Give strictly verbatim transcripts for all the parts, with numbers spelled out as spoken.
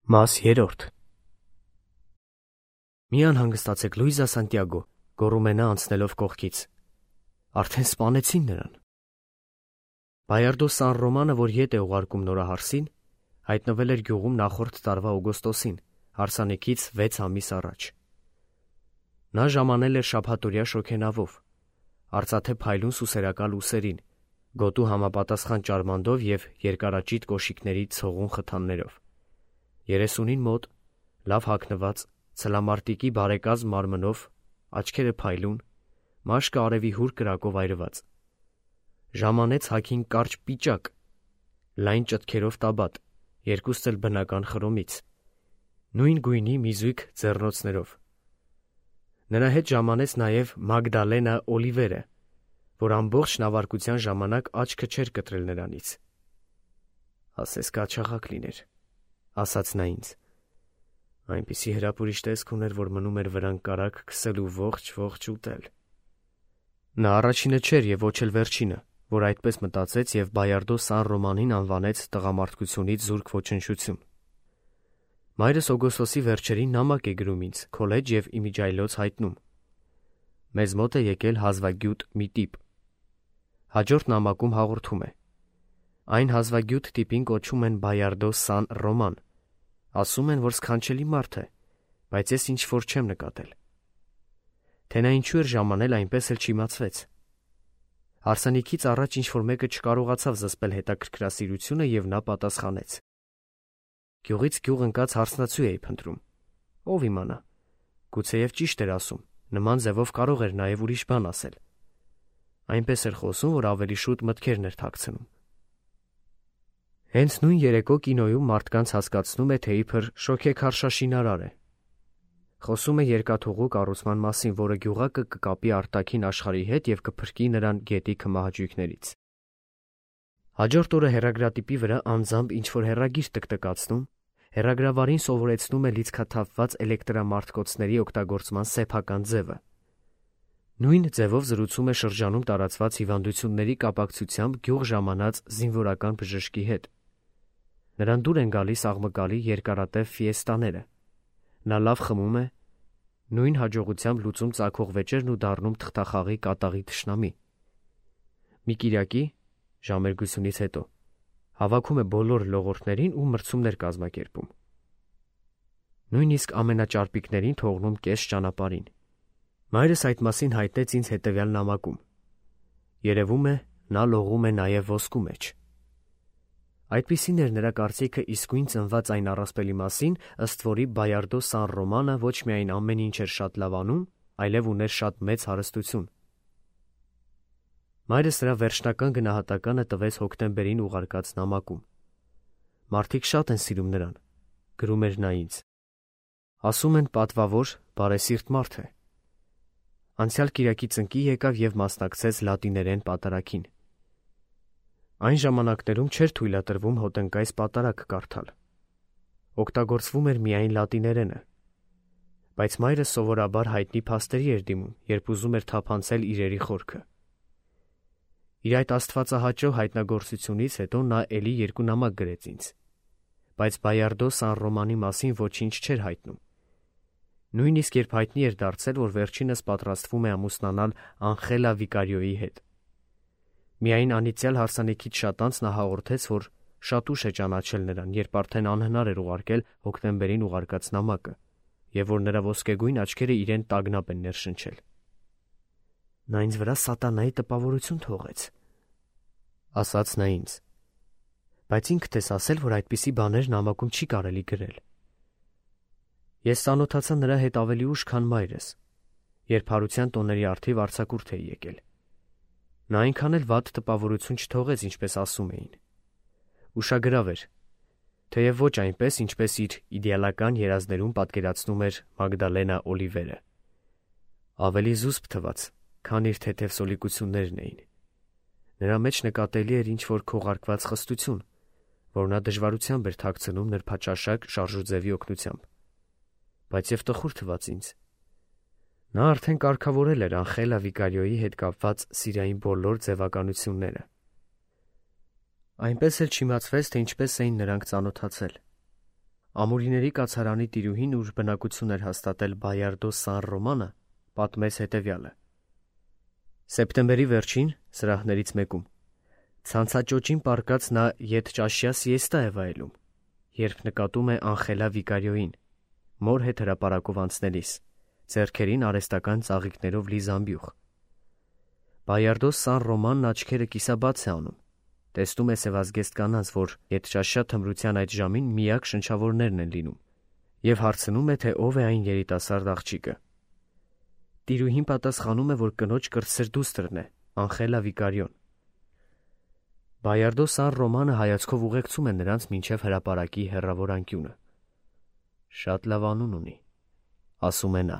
Մաս երրորդ Մի անհանգստացեք Լուիզա Սանտիագո, գոռում է նա անցնելով կողքից։ Արդեն սպանեցին նրան։ Բայարդո Սան Ռոմանը, որ ետ է ուղարկում նորահարսին, հայտնվել էր գյուղում նախորդ տարվա օգոստոսին, հարսանեկից վեց ամիս առաջ։ Նա ժամանել էր շաբաթօրյա շոգենավով, արծաթե փայլուն սուսերակալ ուսերին, գոտու համապատասխան ճարմանդով և երկարաճիտ կոշիկների ցողուն խթաններով։ Երեսունին մոտ, լավ հագնված, ցլամարտիկի բարեկազմ մարմնով, աչքերը փայլուն, մաշկը արևի հուր կրակով այրված։ Ժամանեց հագին կարճ պիճակ, լայն ճտքերով տաբատ, երկուստ էլ բնական խրոմից, նույն գույնի մի զույգ ձեռնոցներով։ Նրա հետ ժամանեց նաև Մագդալենա Օլիվերը, որ ամբողջ նավարկության ժամանակ աչքը չէր կտրել նրանից։ Ասես կաչաղակ լիներ, ասաց նա ինձ։ Այնպիսի հրապուրիչ տեսք ուներ, որ մնում էր վրան կարագ քսել ու ողջ-ողջ ուտել։ Նա առաջինը չէր և ոչ էլ վերջինը, որ այդպես մտածեց և Բայարդո Սան Ռոմանին անվանեց տղամարդկությունից զուրկ ոչնչություն։ Մայրս օգոստոսի վերջերին նամակ է գրում ինձ, քոլեջ և իմիջիայլոց հայտնում։ Մեզ մոտ է եկել հազվագյուտ մի տիպ։ Հաջորդ նամակում հաղորդում է. Այն հազվագյուտ տիպին կոչում են Բայարդո Սան Ռոման։ Ասում են, որ սքանչելի մարդ է, բայց ես ինչ-որ չեմ նկատել։ Թե նա ինչու էր ժամանել, այնպես էլ չիմացվեց։ Հարսանիքից առաջ ինչ-որ մեկը չկարողացավ զսպել հետաքրքրասիրությունը և նա պատասխանեց. Գյուղից գյուղ ընկած հարսնացու էի փնտրում։ Ով իմանա, գուցեև ճիշտ էր ասում, նման ձևով կարող էր նաև ուրիշ բան ասել։ Այնպես էր խոսում, որ ավելի շուտ մտքերն էր թաքցնում։ Հենց նույն երեկո կինոյում մարդկանց հասկացնում է, թե իբր շոգեքարշաշինարար է։ Խոսում է երկաթուղու կառուցման մասին, որը գյուղակը կկապի արտաքին աշխարհի հետ և կփրկի նրան գետի քմահաճույքներից։ Հաջորդ օրը հեռագրատիպի վրա անձամբ ինչ-որ հեռագիր տկտկացնում, հեռագրավարին սովորեցնում է լիցքաթափված էլեկտրամարտկոցների օգտագործման սեփական ձևը։ Նույն ձևով զրուցում է շրջանում տարածված հիվանդությունների կապակցությամբ գյուղ ժամանած զինվորական բժշկի հետ։ Նրան դուր են գալիս աղմկալի երկարատև ֆիեստաները։ Նա լավ խմում է, նույն հաջողությամբ լուծում ծագող վեճերն ու դառնում թղթախաղի կատաղի թշնամի։ Մի կիրակի, ժամերգությունից հետո, հավաքում է բոլոր լողորդներին ու մրցումներ կազմակերպում։ Նույնիսկ ամենաճարպիկներին թողնում կես ճանապարհին։ Մայրս այդ մասին հայտնեց ինձ հետևյալ նամակում։ Երևում է, նա լողում է նաև ոսկու մեջ։ Այդպիսին էր նրա կարծիքը իսկույն ծնված այն առասպելի մասին, ըստ որի Բայարդո Սան Ռոմանը ոչ միայն ամեն ինչ էր շատ լավ անում, այլև ուներ շատ մեծ հարստություն։ Մայրս նրա վերջնական գնահատականը տվեց հոկտեմբերին ուղարկած նամակում։ Մարդիկ շատ են սիրում նրան, գրում էր նա ինձ։ Ասում են պատվավոր, բարեսիրտ մարդ է։ Անցյալ կիրակի ծնկի եկավ և մասնակցեց լատիներեն պատարագին։ Այն ժամանակներում չէր թույլատրվում հոտնկայս պատարագ կարդալ։ Օգտագործվում էր միայն լատիներենը։ Բայց մայրս սովորաբար հայտնի փաստերի էր դիմում, երբ ուզում էր թափանցել իրերի խորքը։ Իր այդ աստվածահաճո հայտնագործությունից հետո նա էլի երկու նամակ գրեց ինձ, բայց Բայարդո Սան Ռոմանի մասին ոչինչ չէր հայտնում։ Նույնիսկ երբ հայտնի էր դարձել, որ վերջինս պատրաստվում է ամուսնանալ Անխելա Վիկարիոյի հետ։ Միայն անիծյալ հարսանիքից շատ անց նա հաղորդեց, որ շատ ուշ է ճանաչել նրան, երբ արդեն անհնար էր ուղարկել հոկտեմբերին ուղարկած նամակը, և որ նրա ոսկեգույն աչքերը իրեն տագնապ են ներշնչել։ Նա ինձ վրա սատանայի տպավորություն թողեց, ասաց նա ինձ, բայց ինքդ ես ասել, որ այդպիսի բաներ նամակում չի կարելի գրել։ Ես ծանոթացա նրա հետ ավելի ուշ, քան մայրս, երբ հարության տոների առթիվ արձակուրդ էի եկել։ Նա այնքան էլ վատ տպավորություն չթողեց, ինչպես ասում էին։ Ուշագրավ էր, թեև ոչ այնպես, ինչպես իր իդեալական երազներում պատկերացնում էր Մագդալենա Օլիվերը։ Ավելի զուսպ թվաց, քան իր թեթև սոլիկություններն էին։ Նրա մեջ նկատելի էր ինչ-որ քողարկված խստություն, որ նա դժվարությամբ էր թաքցնում նրբաճաշակ շարժուձևի օգնությամբ։ Բայց և տխուր թվաց ինձ։ Նա արդեն կարգավորել էր Անխելա Վիկարիոյի հետ կապված սիրային բոլոր ձևականությունները։ Այնպես էլ չիմացվեց, թե ինչպես էին նրանք ծանոթացել։ Ամուրիների կացարանի տիրուհին, ուր բնակություն էր հաստատել Բայարդո Սան Ռոմանը, պատմեց հետևյալը. Սեպտեմբերի վերջին, սրահներից մեկում, ցանցաճոճին պառկած նա ետճաշյա սիեստա է վայելում, երբ նկատում է Անխելա Վիկարիոյին, մոր հետ հրապարակով անցնելիս, ձեռքերին արհեստական ծաղիկներով լի զամբյուղ։ Բայարդո Սան Ռոմանն աչքերը կիսաբաց է անում, տեսնում է սևազգեստ կանանց, որ ետճաշյա թմրության այդ ժամին միակ շնչավորներն են լինում, և հարցնում է, թե ով է այն երիտասարդ աղջիկը։ Տիրուհին պատասխանում է, որ կնոջ կրտսեր դուստրն է, Անխելա Վիկարիոն։ Բայարդո Սան Ռոմանը հայացքով ուղեկցում է նրանց մինչև հրապարակի հեռավոր անկյունը։ Շատ լավ անուն ունի, ասում է նա։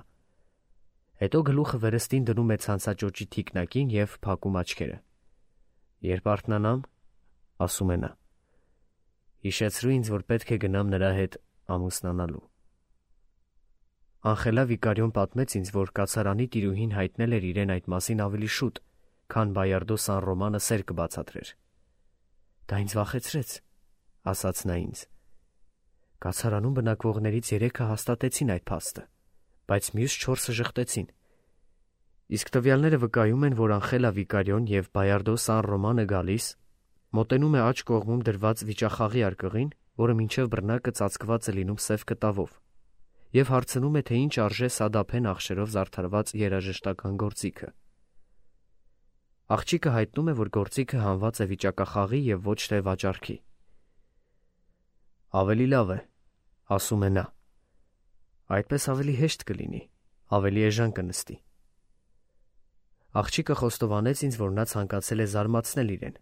Հետո գլուխը վերստին դնում է ցանցաճոճի թիկնակին և փակում աչքերը։ Երբ արթնանամ, ասում է նա, հիշեցրու ինձ, որ պետք է գնամ նրա հետ ամուսնանալու։ Անխելա Վիկարիոն պատմեց ինձ, որ կացարանի տիրուհին հայտնել էր իրեն այդ մասին ավելի շուտ, քան Բայարդո Սան Ռոմանը սեր կբացատրեր։ Դա ինձ վախեցրեց, ասաց նա ինձ։ Կացարանում բնակվողներից երեքը հաստատեցին այդ փաստը, բայց մյուս չորսը ժխտեցին։ Իսկ տվյալները վկայում են, որ Անխելա Վիկարիոն և Բայարդո Սան Ռոմանը գալիս, մոտենում է աջ կողմում դրված վիճախաղի արկղին, որը մինչև բռնակը ծածկված է լինում սև կտավով, և հարցնում է, թե ինչ արժե սադափեն աղշերով զարդարված երաժշտական գործիքը։ Աղջիկը հայտնում է, որ գործիքը հանված է վիճակախաղի և ոչ թե վաճառքի։ Ավելի լավ է, ասում է նա։ Այդպես ավելի հեշտ կլինի, ավելի էժան կնստի։ Աղջիկը խոստովանեց ինձ, որ նա ցանկացել է զարմացնել իրեն,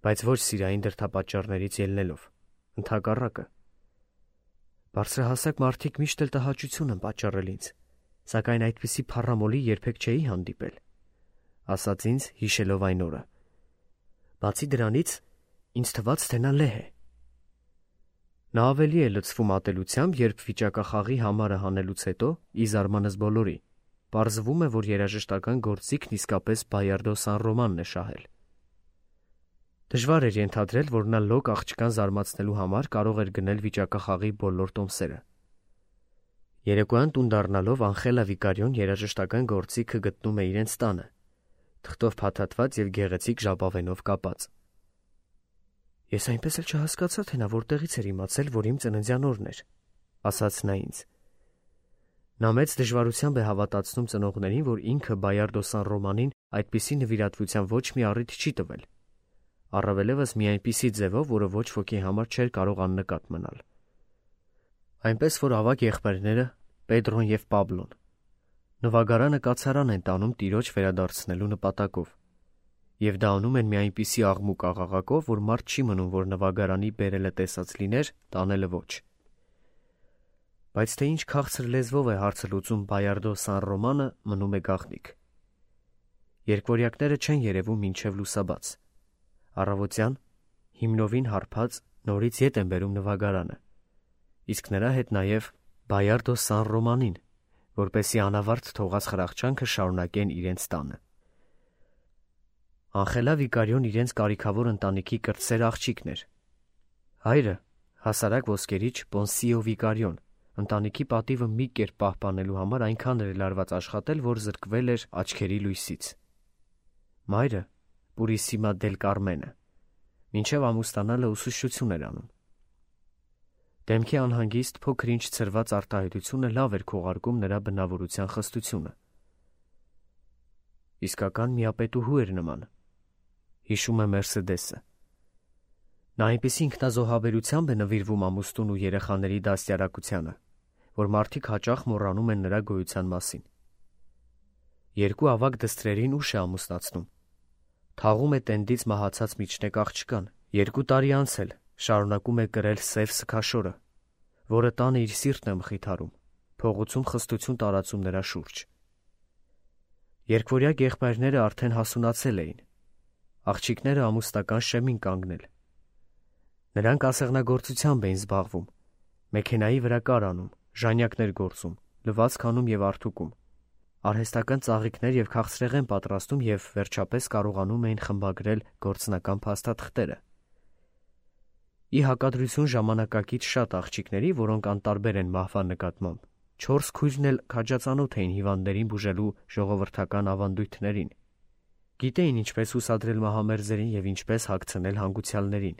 բայց ոչ սիրային դրդապատճառներից ելնելով, ընդհակառակը։ Բարձրահասակ մարդիկ միշտ էլ տհաճություն են պատճառել ինձ, սակայն այդպիսի փառամոլի երբեք չէի հանդիպել, ասաց ինձ, հիշելով այն օրը։ Բացի դրանից, ինձ թվաց, թե նա լեհ է։ Նա ավելի է լցվում ատելությամբ, երբ վիճակախաղի համարը հանելուց հետո, ի զարմանս բոլորի, պարզվում է, որ երաժշտական գործիքն իսկապես Բայարդո Սան Ռոմանն է շահել։ Դժվար էր ենթադրել, որ նա լոկ աղջկան զարմացնելու համար կարող էր գնել վիճակախաղի բոլոր տոմսերը։ Երեկոյան տուն դառնալով Անխելա Վիկարիոն երաժշտական գործիքը գտնում է իրենց տանը, թղթով փաթաթված և գեղեցիկ ժապավենով կապած։ Ես այնպես էլ չհասկացա, թե նա որտեղից էր իմացել, որ իմ ծննդյան օրն էր, ասաց նա ինձ։ Նա մեծ դժվարությամբ է հավատացնում ծնողներին, որ ինքը Բայարդո Սան Ռոմանին այդպիսի նվիրատվության ոչ մի առիթ չի տվել, առավելևս մի այնպիսի ձևով, որը ոչ ոքի համար չէր կարող աննկատ մնալ։ Այնպես որ ավագ եղբայրները, Պետրոն և Պաբլոն, նվագարանը կացարան են տանում տիրոջ վերադարձնելու նպատակով, և դա անում են մի այնպիսի աղմուկ աղաղակով, որ մարդ չի մնում, որ նվագարանի բերելը տեսած լիներ, տանելը ոչ։ Բայց թե ինչ քաղցր լեզվով է հարցը լուծում Բայարդո Սան Ռոմանը, մնում է գաղտնիք։ Երկվորյակները չեն երևում մինչև լուսաբաց։ Առավոտյան, հիմնովին հարբած, նորից ետ են բերում նվագարանը, իսկ նրա հետ նաև Բայարդո Սան Ռոմանին, որպեսզի անավարտ թողած խրախճանքը շարունակեն իրենց տանը։ Անխելա Վիկարիոն իրենց կարիքավոր ընտանիքի կրտսեր աղջիկն էր։ Հայրը, հասարակ ոսկերիչ Պոնսիո Վիկարիոն, ընտանիքի պատիվը մի կերպ պահպանելու համար այնքան էր լարված աշխատել, որ զրկվել էր աչքերի լույսից։ Մայրը, Պուրիսիմա դել Կարմենը, մինչև ամուսնանալը ուսուցչություն էր անում։ Դեմքի անհանգիստ փոքր-ինչ ցրված արտահայտությունը լավ էր քողարկում նրա բնավորության խստությունը։ Իսկական միապետուհու էր նման, հիշում է Մերսեդեսը։ Նա այնպիսի ինքնազոհաբերությամբ է նվիրվում ամուսնուն ու երեխաների դաստիարակությանը, որ մարդիկ հաճախ մոռանում են նրա գոյության մասին։ Երկու ավագ դստրերին ուշ է ամուսնացնում։ Թաղում է տենդից մահացած միջնեկ աղջկան, երկու տարի անց էլ շարունակում է կրել սև սգաշորը, որը տանը իր սիրտն է մխիթարում, փողոցում խստություն տարածում նրա շուրջ։ Երկվորյակ եղբայրները արդեն հասունացել էին, աղջիկները ամուսնական շեմին կանգնել։ Նրանք ասեղնագործությամբ էին զբաղվում, մեքենայի վրա կար անում, ժանյակներ գործում, լվացք անում և արթուկում, արհեստական ծաղիկներ և քաղցրեղեն պատրաստում և վերջապես կարողանում էին խմբագրել գործնական փաստաթղթերը։ Ի հակադրություն ժամանակակից շատ աղջիկների, որոնք անտարբեր են մահվան նկատմամբ, չորս քույրն էլ քաջածանոթ էին հիվանդներին բուժելու ժողովրդական ավանդույթներին, գիտեին ինչպես հուսադրել մահամերձերին և ինչպես հագցնել հանգուցյալներին։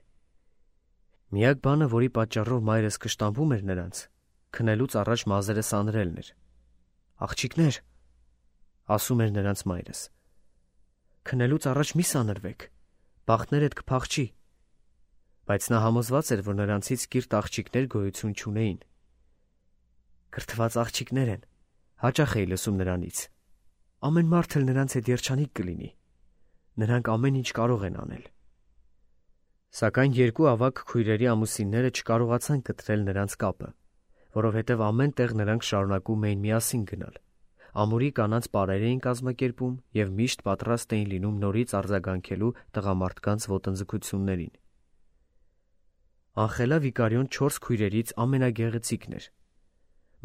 Միակ բանը, որի պատճառով մայրս կշտամբում էր նրանց, քնելուց առաջ մազերը սանրելն էր։ «Աղջիկներ», ասում էր նրանց մայրս, «քնելուց առաջ մի սանրվեք, բախտներդ կփախչի», բայց նա համոզված էր, որ նրանցից կիրթ աղջիկներ գոյություն չունեին։ «Կրթված աղջիկներ են», հաճախ էի լսում նրանից, «ամեն մարդ էլ նրանց հետ երջանիկ կլինի, նրանք ամեն ինչ կարող են անել»։ Սակայն երկու ավագ քույրերի ամուսինները չկարողացան կտրել նրանց կապը, որովհետև ամեն տեղ նրանք շարունակում էին միասին գնալ, ամուրի կանանց պարեր էին կազմակերպում և միշտ պատրաստ էին լինում նորից արձագանքելու տղամարդկանց ոտնձգություններին։ Անխելա Վիկարիոն չորս քույրերից ամենագեղեցիկն էր։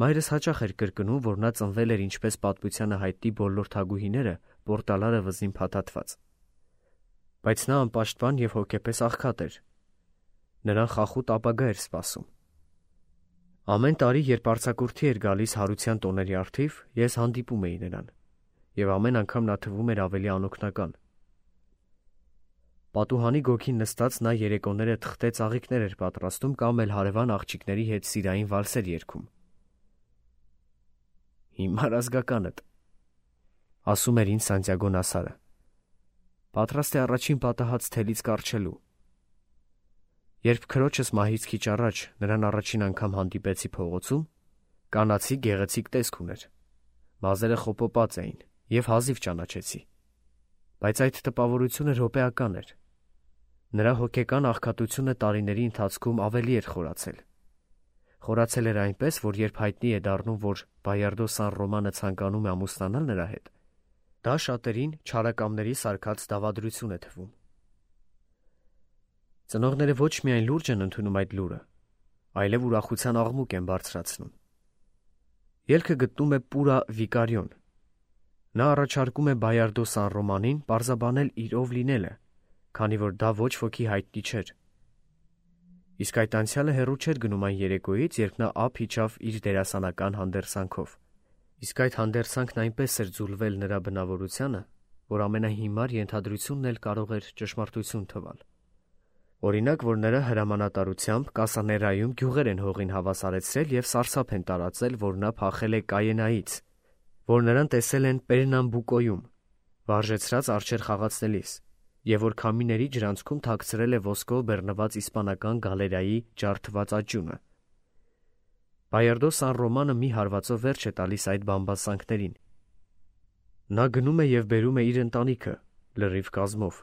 Մայրս հաճախ էր կրկնում, որ նա ծնվել էր ինչպես պատմությանը հայտնի բոլոր թագուհիները պորտալարը վզին փաթաթված։ Բայց նա անպաշտպան և հոգեպես աղքատ էր։ Նրան խախուտ ապագա էր սպասում։ Ամեն տարի, երբ արձակուրդի էր գալիս հարության տոների առթիվ, ես հանդիպում էի նրան, և ամեն անգամ նա թվում էր ավելի անօգնական։ Պատուհանի գոգին նստած նա երեկոները թղթե ծաղիկներ էր պատրաստում կամ էլ հարևան աղջիկների հետ սիրային վալսեր երգում։ «Հիմար ազգականդ», ասում էր ինձ Սանտիագո Նասարը, «պատրաստ է առաջին պատահած թելից կառչելու»։ Երբ քրոջս մահից քիչ առաջ նրան առաջին անգամ հանդիպեցի փողոցում, կանացի գեղեցիկ տեսք ուներ, մազերը խոպոպած էին և հազիվ ճանաչեցի, բայց այդ տպավորությունը րոպեական էր։ Նրա հոգեկան աղքատությունը տարիների ընթացքում ավելի էր խորացել։ Խորացել էր այնպես, որ երբ հայտնի է դառնում, որ Բայարդո Սան Ռոմանը ցանկանում է ամուսնանալ նրա հետ, դա շատերին չարակամների սարքած դավադրություն է թվում։ Ծնողները ոչ միայն լուրջ են ընդունում այդ լուրը, այլև ուրախության աղմուկ են բարձրացնում։ Ելքը գտնում է Պուրա Վիկարիոն։ Նա առաջարկում է Բայարդո Սան Ռոմանին պարզաբանել իր ով լինելը, քանի որ դա ոչ ոքի հայտնի չէր։ Իսկ այդ անցյալը հեռու չէր գնում այն երեկոյից, երբ նա ափ իջավ իր դերասանական հանդերձանքով։ Իսկ այդ հանդերձանքն այնպես էր ձուլվել նրա բնավորությանը, որ ամենահիմար ենթադրությունն էլ կարող էր ճշմարտություն թվալ։ Օրինակ, որ նրա հրամանատարությամբ Կասաներայում գյուղեր են հողին հավասարեցրել և սարսափ են տարածել, որ նա փախել է Կայենայից, որ նրան տեսել են Պերնամբուկոյում, վարժեցրած արջեր խաղացնելիս, և որ քամիների ջրանցքում թաքցրել է ոսկով բեռնված իսպանական գալերայի ջարդված աճյունը։ Բայարդո Սան Ռոմանը մի հարվածով վերջ է տալիս այդ բամբասանքներին։ Նա գնում է և բերում է իր ընտանիքը լրիվ կազմով։